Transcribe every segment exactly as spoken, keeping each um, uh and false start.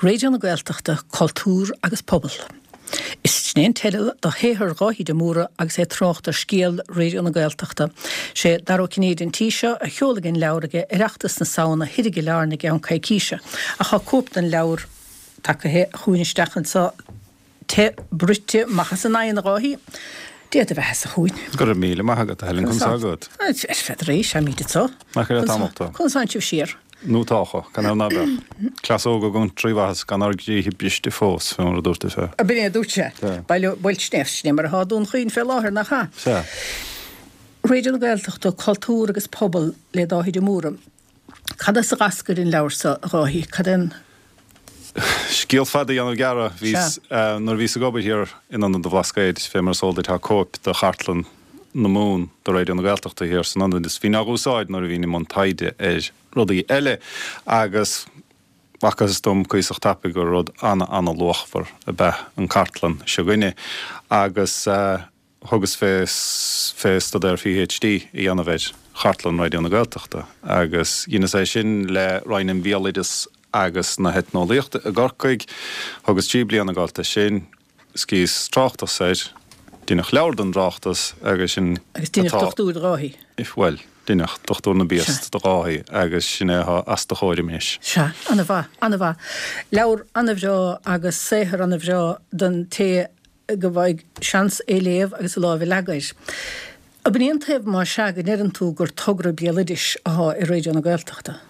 Raidió na Gaeltachta, Cultúr agus Pobal. Is sin é an teideal do shaothar Dháithí de Mórdha agus é ag trácht ar scéal Raidió na Gaeltachta. Sé Dara Ó Cinnéide an tí seo a sheolfaidh an leabhar ag Oireachtas na Samhna thoir i gCill Airne i gceann coicíse. Ach tá cóip den leabhar tagtha chugainn isteach anseo te bruite maith as an oigheann, a Dháithí. Dia do bheatha-sa chugainn. Go raibh míle maith agat, a Helen, conas tá agat? Ar feadh arís, táimid anseo. Nach le tamall tá. Conas tánn sibh siar? Nó tácha, gan ann ná beadh. Cleasóga againn trí mhaitheas gan ár gcroíthe briste fós, fé mar a dúirt an fear. Ab in é a dúirt sé? Sea. Bail bhuel sin é, sin é mar atá Dún Chaoin fé láthair, nach ea? Sea. Raidió na Gaeltachta, Cultúr agus Pobal le Dáithí de Mórdha. Cad as a dh'eascair an leabhar seo, a Dháithí? Cad é an. Scéal fada a dhéanamh gearr, bhíos, nuair a bhíos ag obair thiar in Ionad an Bhlascaoid, fé mar is eol duit tá cóip de Chartlann na Mumhan de Raidió na Gaeltachta thiar san ionad is bhínn á úsáid nuair a bhínn i mbun taighde ar rudaí eile agus bhfacthas dom cuíosach tapaidh gur rud ana-ana-luachmhar ab ea an cartlann seo againne agus thugas fé fé staidéar PhD a dhéanamh ar chartlann Raidió na Gaeltachta agus dheineas é sin le Roinn an Bhéaloideas agus na hEitneolaíochta i gCorcaigh. Thugas trí bliana ag gabháilt do sin, scríos tráchtas air, deineadh leabhar den dtráchtas agus sin Agus deineadh atá. dochtúir de Dháithí. Bhuel, deineadh dochtúir na Sea. bpiast de Dháithí agus sin é atá os do chomhair anois. Sea, ana-mhaith, ana-mhaith. Leabhar ana-bhreá agus saothar ana-bhreá don té go bhfaighidh seans é léamh agus a lámh a leagadh air. Ab in é an taobh más ea go ndeireann tú gur togra béaloidis athá i Raidió na Gaeltachta?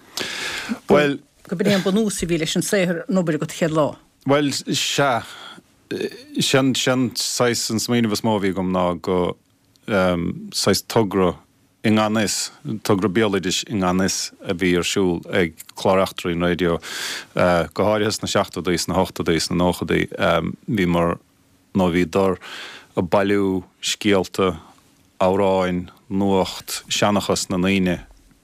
Bhuel. Go b'in é an bunús a bhí leis an saothar, an obair agat chéad lá? Bhuel, sea. Sin, sin saghas an smaoineamh is mó a bhí agam ná go saghas togra i ngan fhios, togra béaloidis i ngan fhios a bhí ar siúl ag Clár Eachtraí an Raidió, go háirithe sna seachtóidí, sna hochtóidí, sna nóchaidí. Bhíomar, nó bhíodar, ag bailiú scéalta, amhráin, nuacht, seanchas na ndaoine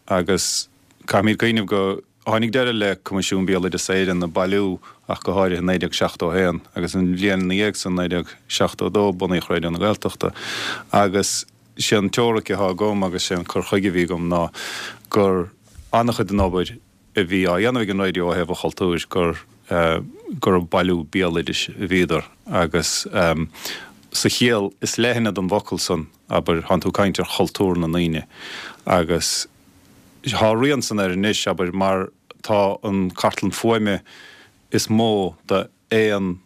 agus caithfimid cuimhneamh go tháinig deireadh le Coimisiún Béaloideas Éireann ag bailiú ach go háirithe i naoi déag seachtó a haon agus an bhliain ina dhiaidh san, naoi déag seachtó a dó, bunaíodh Raidió na Gaeltachta agus sé an teoiric atá agam agus sé an cur chuige a bhí agam ná gur an-chuid den obair a bhí á dhéanamh ag an raidió ó thaobh an chultúir gur gur ag bailiú béaloidis a bhíodar agus sa chiall is leithne den bhfocal san, abair, thánn tú ag caint ar chultúr na ndaoine agus thá a rian san air anois, abair, mar tá an cartlann fuaime is mó d'aon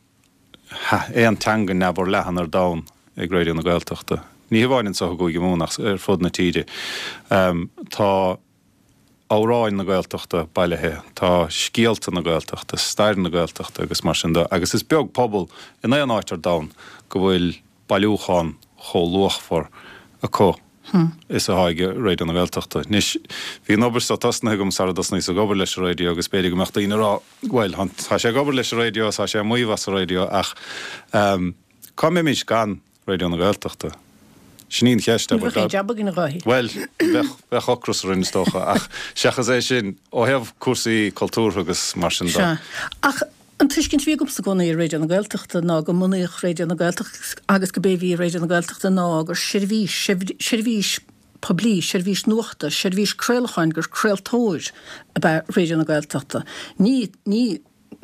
aon teanga neamhfhorleathan ar domhan ag Raidió na Gaeltachta. Ní hamháin anseo i gCúige Mumhan ach ar fud na tíre. Tá. amhráin na Gaeltachta bailithe, tá scéalta na Gaeltachta, stair na Gaeltachta agus mar sin de agus is beag pobal in aon áit ar domhan go bhfuil bailiúchán chomh luachmhar acu is atá ag Raidió na Gaeltachta. Anois, bhí an obair seo tosnaithe agam sara dtosnaíos ag obair leis an raidió agus b'fhéidir go mbeadh daoine ag rá, bhuel, tá sé ag obair leis an raidió, tá sé ag maíomh as an raidió ach cá mbeimis gan Raidió na Gaeltachta? Sin í an cheist, Ní bheadh aon jab againn, a Dháithí. Bhuel, bheadh, bheadh ocras orainn is dócha, ach seachas é sin, ó thaobh cúrsaí cultúrtha agus mar sin de. Sea. Ach an tuiscint a bhí agamsa i gcónaí ar Raidió na Gaeltachta ná go mbunaíodh Raidió na Gaeltachta agus go b'é a bhí i Raidió na Gaeltachta ná gur seirbhís, seirbhís poiblí, seirbhís nuachta, seirbhís craolacháin, gur craoltóir ab ea Raidió na Gaeltachta. Ní, ní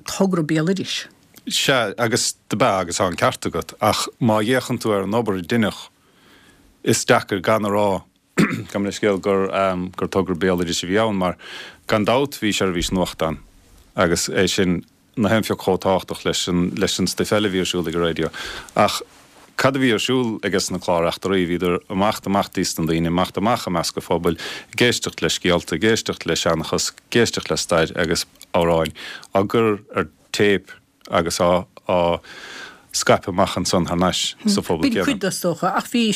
togra béaloidis. Sea, agus dob ea, agus tá an ceart agat, ach má fhéachann tú ar an obair a deineadh, is deacair gan a rá, gabh mo leithscéal, gur, gur togra béaloidis a bhí ann, mar gan dabht bhí seirbhís nuachta ann, agus é sin nach aon phioc chomh tábhachtach leis an, leis an stuif eile a bhí ar siúl ag an raidió. Ach cad a bhí ar siúl ages na cláir eachtraí? Bhíodar ag imeacht amach dtí sna daoine, ag imeacht amach i measc an phobail, ag éisteacht le scéalta, ag éisteacht le seanchas, ag éisteacht le stair agus amhráin á gcur ar téip agus á á scaipeadh amach ansan thar n-ais sa phobal B'in céanna. cuid de, is dócha, ach bhí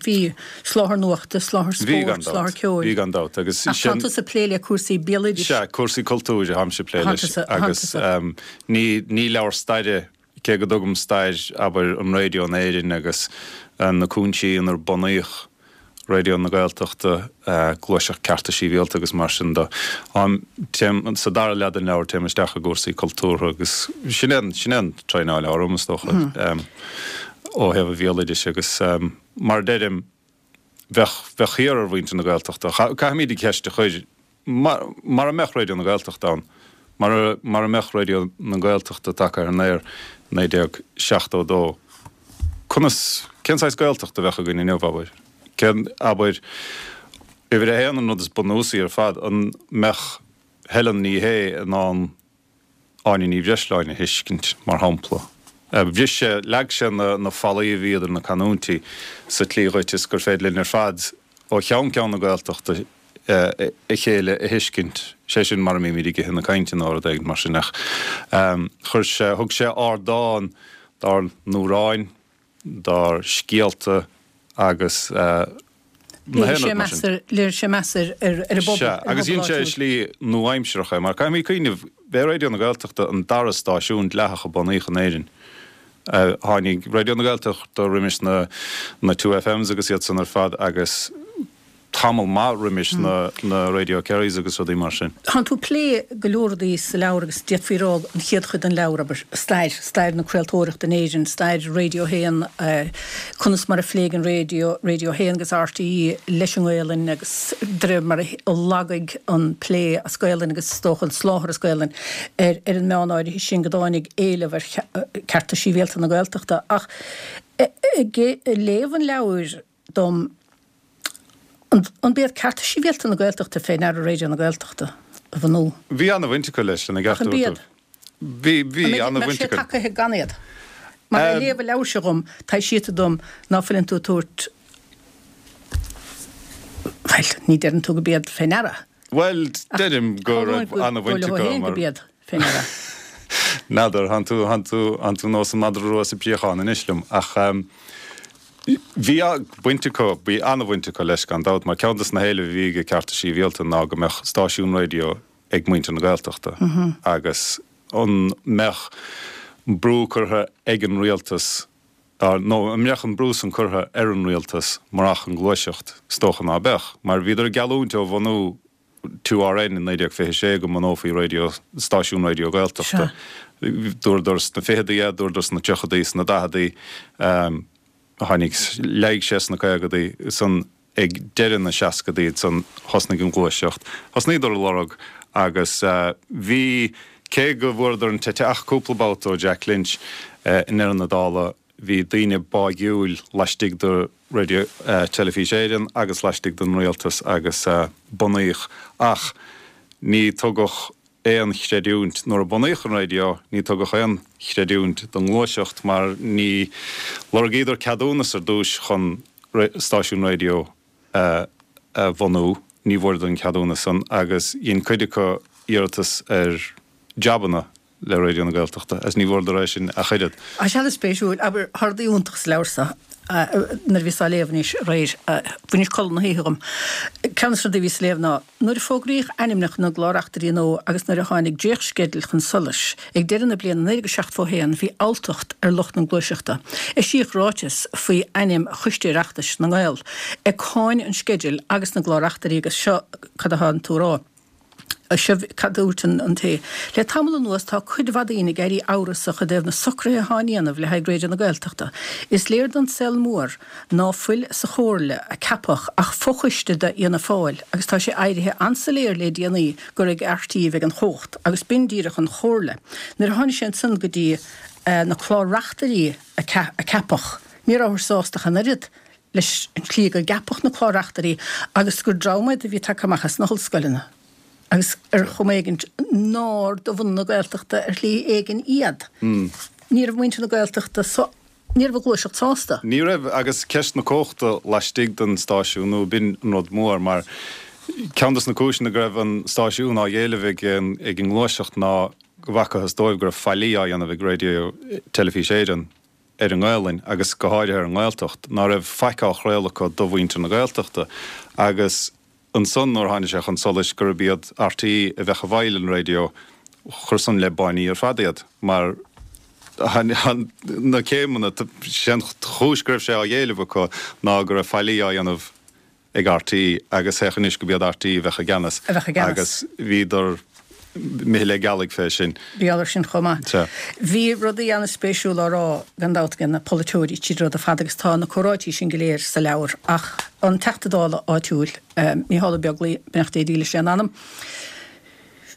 bhí soláthar nuachta, soláthar Bhí gan spóirt, soláthar dabht, ceoil. bhí gan dabht agus Ach sin. tá tusa ag plé le cúrsaí béaloidis. Sea, cúrsaí cultúir atáimse ag plé Thánn leis tusa, thánn agus tusa. ní ní leabhar staire, cé go dtugaim stair, abair, an raidió in Éirinn agus na cúinsí inar bunaíodh Raidió na Gaeltachta, gluaiseacht cearta sibhialta agus mar sin de. Téim, sa dara leath den leabhar, téim isteach i gcúrsaí cultúrtha agus sin é an, sin é an traenáil atá orm, is dócha, ó thaobh an bhéaloidis agus mar a deirim, bheadh, bheadh thiar ar mhuintir na Gaeltachta. Caithfimid an cheist a chur, mara mbeadh Raidió na Gaeltachta ann, Mara, mara mbeadh Raidió na Gaeltachta tagtha ar an aer naoi déag seachtó dó, conas, cén saghas Gaeltacht a bheadh againn inniu, abair? Cén, abair, uimhir a haon, an rud is bunúsaí ar fad, an mbeadh Helen Ní Shé in ann Áine Ní Bhreisleáin a thuiscint, mar shampla? Bhris sé, leag sé na, na fallaí a bhí idir na canúintí sa tslí dhuit is gur féidir linn ar fad ó cheann ceann na Gaeltachta a chéile a thuiscint, sé sin mara mbímid ag ithe na cainte nó rud éigin mar sin ach chuir sé, thug sé ardán dár n-amhráin, dár scéalta agus na haon rud mar sin. Léirigh sé meas ar an bpobal. Sea, agus dhein sé i slí nua-aimsearach é, mar caithfimid cuimhneamh, b'é Raidió na Gaeltachta an dara stáisiún dleathach a bunaíodh in Éirinn. Tháinig Raidió na Gaeltachta roimis na na Two FMs agus iad san ar fad agus tamall maith roimis na na Radio Kerrys agus rudaí mar sin. Tánn tú ag plé go leor rudaí sa leabhar agus d'fhéadfaí a rá an chéad chuid den leabhar, abair, stair, stair na craoltóireachta in Éirinn, stair Radio a haon, conas mar a phléigh an raidió, Radio a haon agus RTÉ leis an nGaelainn agus de réir mar a lagaigh an plé as Gaelainn agus is dócha an soláthar as Gaelainn ar ar an meán áirithe sin go dtáinig éileamh ar chearta sibhialta na Gaeltachta. Ach ag léamh an leabhair dom, An b'iad cearta sibhialta na Gaeltachta fé ndeara Raidió na Gaeltachta a bhunú? Bhí ana-bhaint acu leis, lena Ach an gceartú b'iad? Bhí, bhí An ana-bhaint mbeadh sé acu. tagaithe gan iad? Mar ag léamh an leabhair seo dhom, taibhsítear dom ná fuileann tú ag tabhairt, bhuel, ní deireann tú go b'iad fé ndeara. Bhuel, Ach deirim go tharlóinn raibh go ana-bhaint dóigh leo acu féin go mar. b'iad fé ndeara. N'fheadar, thánn tú, thánn tú, thánn tú nós an madra rua sa bpréachán anois liom, ach bhí baint acu, bhí an-bhaint acu leis gan dabht, mar ceann de na héilimh a bhí ag Cearta Sibhialta ná go mbeadh stáisiún raidió ag muintir na Gaeltachta agus an mbeadh brú curtha ag an rialtas, nó an mbeadh an brú san curtha ar an rialtas murach an ghluaiseacht? Is dócha ná beadh, mar bhíodar ag geallúint ó bhunú Two RN in naoi déag fiche sé go mbunófaí raidió, stáisiún raidió Gaeltachta. Dúradar sna ficheadaí é, dúradar sna tríochadaí, sna daicheadaí, tháinig, leáigh sé sna caogadaí, ansan ag deireadh na seascadaí ansan thosnaigh an ghluaiseacht. Thosnaíodar a lorg agus bhí, cé go bhfuaireadar an t-eite ach cúpla babhta ó Jack Lynch i ndeireadh na dála, Bhí daoine báigiúil laistigh de Raidió Teilifís Éireann agus laistigh den rialtas agus bunaíodh ach ní tugadh aon chreidiúint, nuair a bunaíodh an raidió, ní tugadh aon chreidiúint don ngluaiseacht mar ní lorgaíodar ceadúnas ar dtúis chun stáisiún raidió a bhunú, ní bhfuaireadar an ceadúnas san agus dhein cuid acu iarratas ar jabanna le Raidió na Gaeltachta agus ní bhfuaireadar é sin ach oiread. Tá sé an-spéisiúil, abair, tá rudaí iontacha sa leabhar seo, nuair a bhíos á léamh anois aréir, bhainis codladh na hoíche dhom. Ceann de na rudaí a bhíos a léamh ná, nuair a fógraíodh ainmneacha na gclár-reachtairí nua agus nuair a tháinig dréachtsceideal chun solais ag deireadh na bliana naoi déag seachtó a haon bhí alltacht ar lucht na gluaiseachta. Eisíodh ráiteas faoi ainm Choiste Oireachtais na nGael ag cáineadh an sceidil agus na gclár-reachtairí agus seo cad atá tú a rá. Seo cad a dúirt an té. Le tamall anuas tá cuid mhaith daoine ag éirí amhrasach i dtaobh na socruithe atá á ndéanamh le haghaidh Raidió na Gaeltachta. Is léir don saol mór ná fuil sa chomhairle a ceapadh ach fochoiste d'Fhianna Fáil agus tá sé éirithe an-soiléir le déanaí gur ag RTÉ a bheidh an chumhacht agus b'in díreach an chomhairle. Nuair a tháinig sé ansan go dtí na clár-reachtairí a ceapadh ní rabhthar sásta ach an oiread leis an tslí go gceapadh na clár-reachtairí agus gur dream iad a bhí tagtha amach as na hollscoileanna. agus ar chuma éigin nár de bhunadh na Gaeltachta ar shlí éigin iad. Ní raibh muintir na Gaeltachta, ní raibh an ghluaiseacht sásta. Ní raibh, agus ceist na cumhachta laistigh den stáisiún nua, b'in an rud mór, mar ceann dos na cúiseanna go raibh an stáisiún á éileamh ag an ngluaiseacht ná go bhfacthas dóibh go raibh faillí á dhéanamh ag Raidió Teilifís Éireann ar an nGaelainn agus go háirithe ar an nGaeltacht, ná raibh faic á chraoladh acu do mhuintir na Gaeltachta agus Ansan nuair a tháinig sé chun solais gurb iad RTÉ a bheadh i bhfeighil an raidió, chuir san le báiní ar fad iad, mar na céimeanna, sé an chúis go raibh sé á éileamh acu ná go raibh faillí á dhéanamh ag RTÉ agus féach anois go b'iad RTÉ a bheadh i gceannas agus bhíodar imithe le gealaigh fé sin. Bhí air sin chomh maith. Sea. Bhí rudaí an-spéisiúla á rá gan dabht ag na polaiteoirí tríd an rud ar fad agus tá na comhráití sin go léir sa leabhar ach an Teachta Dála áitiúil, Mícheál Ó Beaglaoich, beannacht Dé dílis lena anam,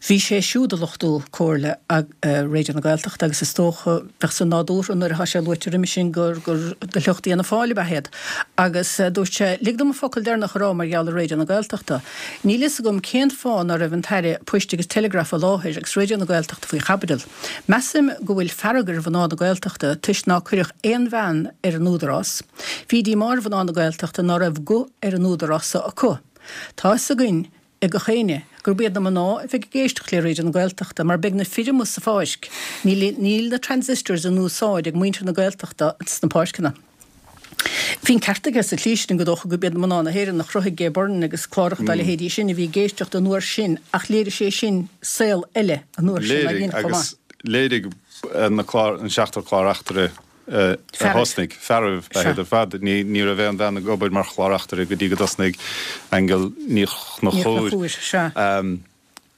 Bhí sé siúd ag lochtú Comhairle Raidió na Gaeltachta agus is dócha, bheadh san nádúrtha nuair atá sé luaite roimhe sin gur gur de shliocht Fhianna Fáil ab ea iad. Agus dúirt sé, Lig dom an focal deireanach a rá mar gheall ar Raidió na Gaeltachta. Níl fhios agam cén fáth ná raibh an tAire Poist agus Teileagraif i láthair agus Raidió na Gaeltachta faoi chaibidil. Measaim go bhfuil fearg ar mhná na Gaeltachta toisc ná cuireadh aon bhean ar an Údarás. Bhí díomá ar mhná na Gaeltachta ná raibh guth ar an Údarás so acu. Tá fhios againn ag gach éinne gurb iad na mná a bheidh ag éisteacht le Raidió na Gaeltachta mar beidh na fir amuigh sa pháirc. Níl níl na transistors in úsáid ag muintir na Gaeltachta sna páirceanna. Bhí an ceart aige sa tslí sin gur dócha gurb iad mná na hÉireann a chruthaigh Gay Byrne agus cláracha dá leithéidí sin a bhí ag éisteacht an uair sin ach léirigh sé sin saol eile an uair sin againn chomh maith. Léirigh agus léirigh na clár an seachtar clár-reachtaire a thosnaigh, fearaibh ba ea iad ar fad. Ní ní raibh aon bhean ag obair mar chlár-reachtaire go dtí go dtosnaigh Aingeal Ní Chonchúir.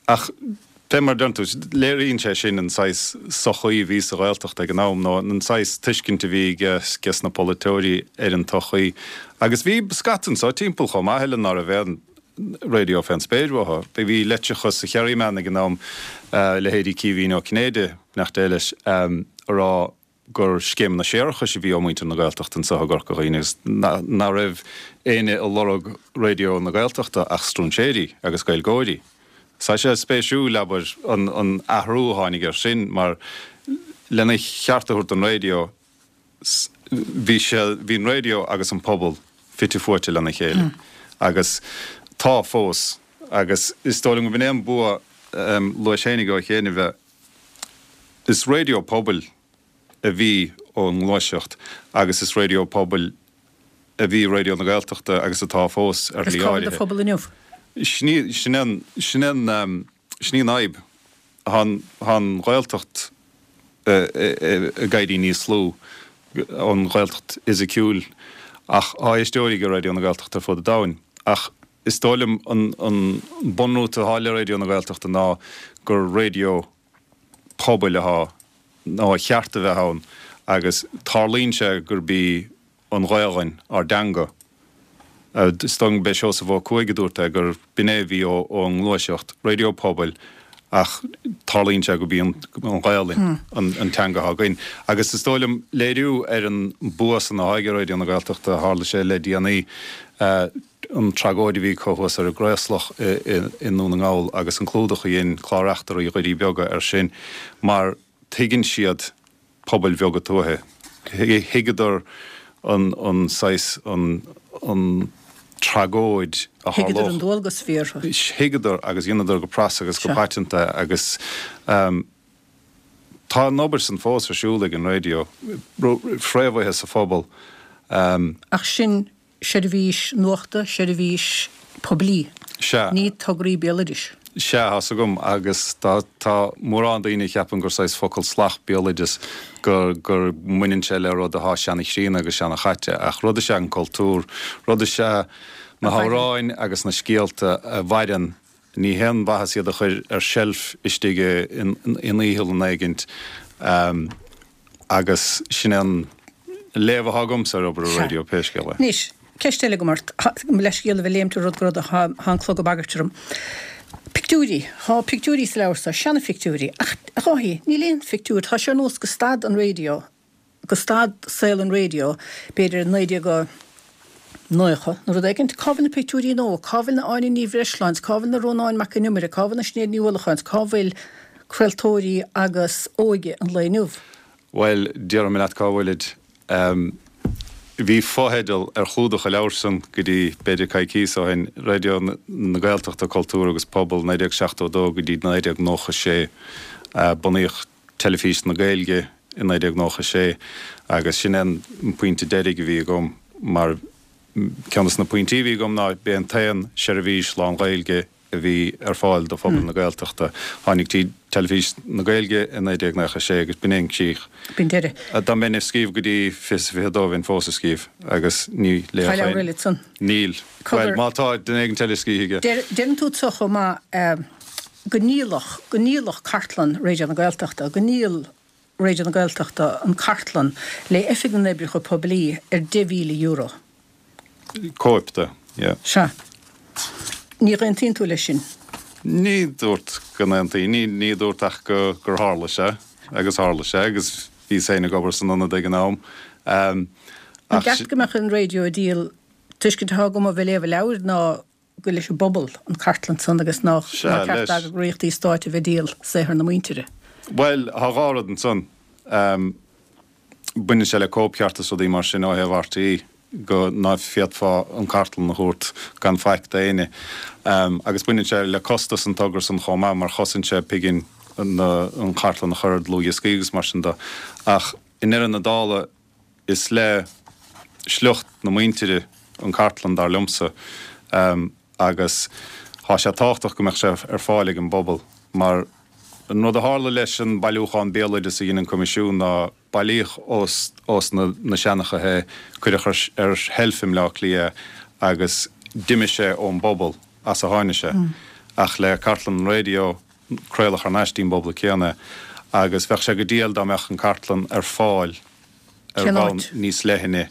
Ach fé mar a deireann tú, léiríonn sé sin an saghas sochaí a bhí sa Ghaeltacht ag an am, nó an saghas tuiscint a bhí ages na polaiteoirí ar an tsochaí. Agus bhí scata anso timpeall chomh maith eile ná raibh aon raidió fén spéir uathu. Bhí litreacha sa Kerryman ag an am, leithéidí Caoimhín Ó Cinnéide, beannacht Dé leis, a rá gur scéimeanna séarachais a bhí ó mhuintir na Gaeltachta anseo i gCorca Dhuibhne agus ná raibh éinne ag lorg Raidió na Gaeltachta ach stróinséirí agus Gaeilgeoirí. Tá sé spéisiúil, abair, an athrú a tháinig air sin mar lena cheart a thabhairt don raidió, bhí sé, bhí an raidió agus an pobal fite fuaite lena chéile agus tá fós agus is dóigh liom go b'in é an bua, luais fhéinig ó chianaibh, is raidió pobail a bhí ón nGluaiseacht agus is raidió pobail a bhí Raidió na Gaeltachta agus atá fós ar shlí áirithe. Agus cá bhfuil do phobal inniu? Sin í, sin é an, sin é an, sin í an fhadhb. Tá an, tá an Ghaeltacht ag éirí níos lú, an Ghaeltacht fhisiciúil, ach tá éisteoirí ag Raidió na Gaeltachta ar fud an domhain. Ach is dóigh liom an, an bunrút atá le Raidió na Gaeltachta ná gur raidió pobail atá nó a cheart a bheith ann agus tarlaíonn sé gurb í an Ghaelainn ár dteanga. Is dóigh liom gurb é Seosamh Ó Cuaig a dúirt é gur b'in é a bhí ón nGluaiseacht, raidió pobail ach tarlaíonn sé gurb í an Ghaelainn an teanga atá againn. Agus is dóigh liom léiriú ar an bua san atá ag Raidió na Gaeltachta a tharla sé le déanaí, an tragóid a bhí acu thuas ar an gCraoslach i nDún na nGall agus an clúdach a dhein clár-reachtairí Dhoirí Beaga air sin mar tuigeann siad pobail bheaga tuaithe. Thuigeadar an saghas, an tragóid a tharlódh. Thuigeadar an dualgas a bhí orthu. Thuigeadar agus dheineadar go pras agus go paiteanta agus tá an obair san fós ar siúl ag an raidió, fréamhaithe sa phobal. Ach sin seirbhís nuachta, seirbhís poiblí. Sea. Ní tograí béaloidis. Sea, tá's agam, agus tá, tá mórán daoine a cheapann gur saghas focal salach béaloideas, gur, gur mbaineann sé le rud athá seana-chríonna agus seana-chaite, ach rud is ea an cultúr, rud is ea na hamhráin agus na scéalta a mhaireann, ní haon mhaitheas iad a chur ar seilf istigh in iothlainn éigint. Agus sin é an léamh atá agamsa ar obair an raidió, pé scéal é. Anois, ceist eile agam ort. Mo leithscéal a bheith ag léimt ó rud go rud ach tá an clog ag bagairt orm. Pictiúirí. Tá pictiúirí sa leabhar seo, seana-phictiúirí. Ach, a Dháithí, níl aon phictiúr. Tá sé ar nós gur stad an raidió, gur stad saol an raidió, b'fhéidir i naoi déag nócha nó rud éigint. Cá bhfuil na pictiúirí nua? Cá bhfuil na Áine Ní Bhreisleáin? Cá bhfuil na Rónáin Mac Con Iomaire? Cá bhfuil na Sinéad Ní Uallacháin? Cá bhfuil craoltóirí agus óige an lae inniu? Bhuel, déarfaidh mé leat cá bhfuilid. Bhí fotheideal ar chlúdach an leabhair san go dtí b'fhéidir coicíos ó shin, Raidió na Gaeltachta, Cultúr agus Pobal, naoi déag seachtó a dó go dtí naoi déag nócha sé. Bunaíodh Teilifís na Gaeilge i naoi déag nócha sé agus sin é an pointe deiridh a bhí agam mar ceann de na pointí a bhí agam ná b'é an t-aon seirbhís lán-Ghaeilge a bhí ar fáil do phobal na Gaeltachta. Tháinig Teilifís na Gaeilge i naoi déag nócha sé agus b'in é an críoch. B'in deireadh. Dá mbeinn ag scríobh go dtí fiche is a fiche dó bheinn fós ag scríobh agus ní Tá leabhar eile ansan. Níl. Bhuel, má tá, duine éigin eile a scríobhfaidh é. Deireann tú anso chomh maith go ndíoladh, go ndíoladh cartlann Raidió na Gaeltachta, go ndíol Raidió na Gaeltachta an cartlann le Oifig na nOibreacha Poiblí ar deich mhíle euro. Cóip de, yeah. Sea. Ní aontaíonn tú leis sin? Ní dúrt go n-aontaí, ní ní dúrt ach go gur tharla sé agus tharla sé agus bhíos féin ag obair san ionad ag an am. An Ach ceart go mbeadh an raidió ag díol tuiscint atá agam ó bheith ag léamh an leabhair ná gur leis an bpobal an chartlann san agus nach Sea, nár cheart leis. d'eagraíochtaí stáit a bheith ag díol saothar na muintire. Bhuel, tá dhá rud ansan. Baineann sé le cóipcheart is rudaí mar sin ó thaobh RTÉ go ná féadfá an cartlann a thabhairt gan faic d'éinne. Agus baineann sé le costas an togra san chomh maith mar chosain sé pingin an chartlann a chur ar dlúthdhioscaí agus mar sin de. Ach i ndeireadh na dála is le sliocht na muintire an cartlann dar liomsa agus tá sé tábhachtach go mbeadh sé ar fáil ag an bpobal mar an rud a tharla leis an bailiúchán béaloideas a dhein an Coimisiún ná bailíodh ós ós na na seanchaithe é, cuireadh ar ar sheilf i mBleá Cliath é agus d'imigh sé ón bpobal as a tháinig sé. Ach le cartlann an raidió craoladh thar n-ais dtí'n bpobal céanna é agus bheadh sé go diail dá mbeadh an cartlann ar fáil ar Cén bhonn áit? níos leithne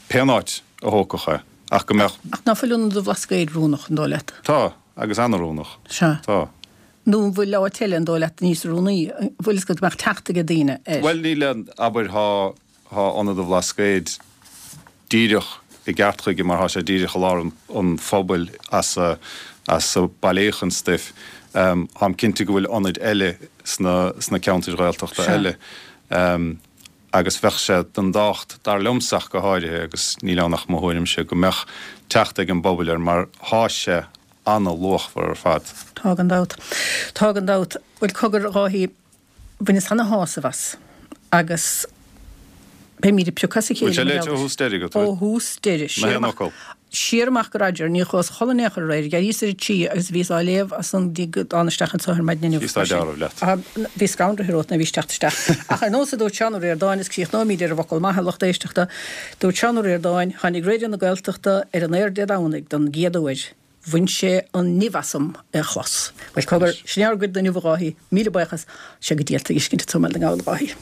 pén áit a thógfadh é ach go mbeadh. Ach ná fuil Ionad an Bhlascaoid oiriúnach, an dóigh leat? Tá, agus an-oiriúnach. Sea. Tá. Nó an bhfuil áit eile, an dóigh leat, níos oiriúnaí? An bhfuil fhios agat go mbeadh teacht ag daoine air? Bhuel, níl aon, abair, thá, thá Ionad an Bhlascaoid díreach i gceart chuige mar thá sé díreach i lár an, an phobail as a, as a bailíodh an stuif. Táim cinnte go bhfuil ionaid eile sna, sna ceantair Ghaeltachta Sea. eile. Agus bheadh sé den tábhacht, dar liomsa ach go háirithe, agus níl ann ach mo thuairimse, go mbeadh teacht ag an bpobal air mar thá sé ana-luachmhar ar fad. Tá gan dabht. Tá gan dabht. Bhuel, cogar, a Dháithí, bhaineas ana-shásamh as agus beimid ag piocadh as a Bhfuil chéile sé mar léite gheall ó air. thús deiridh agat, Ó bhfuil? thús deiridh. Na Siar haon amach, fhocal. siar amach go Roger, níor chuas a chodladh in aon chor aréir, d'éiríos ar a trí agus bhíos á léamh as san go dtí go dtána isteach anso ar maidin inniu. Bhí staid dealramh leat. Ah, bhí scanraithe romhat nuair a bhís teacht isteach. Ach ar nós a dúirt Seán Ó Ríordáin, is críochnóimid ar an bhfocal maith, a lucht éisteachta, dúirt Seán Ó Ríordáin, tháinig Raidió na Gaeltachta ar an aer Dé Domhnaigh don gcéad uair. Bhain sé an nimh asam é a chlos. Bhuel, cogar, sin é ár gcuid inniu a Dháithí, míle buíochas, sé go dialta a fheiscint tú mé na nGall a Dháithí.